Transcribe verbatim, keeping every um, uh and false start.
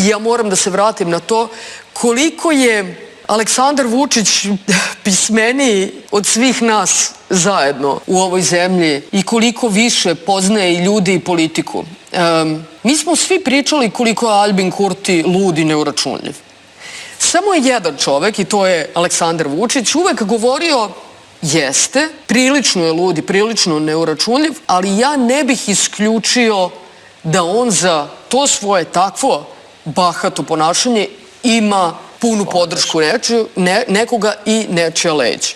ja moram da se vratim na to koliko je Aleksandar Vučić pismeniji od svih nas zajedno u ovoj zemlji i koliko više poznaje i ljudi i politiku. Um, mi smo svi pričali koliko je Aljbin Kurti lud i neuračunljiv. Samo je jedan čovek, i to je Aleksandar Vučić, uvek govorio jeste, prilično je lud i prilično neuračunljiv, ali ja ne bih isključio da on za to svoje takvo bahato ponašanje ima punu podršku nečiju, ne, nekoga i nečija leđa.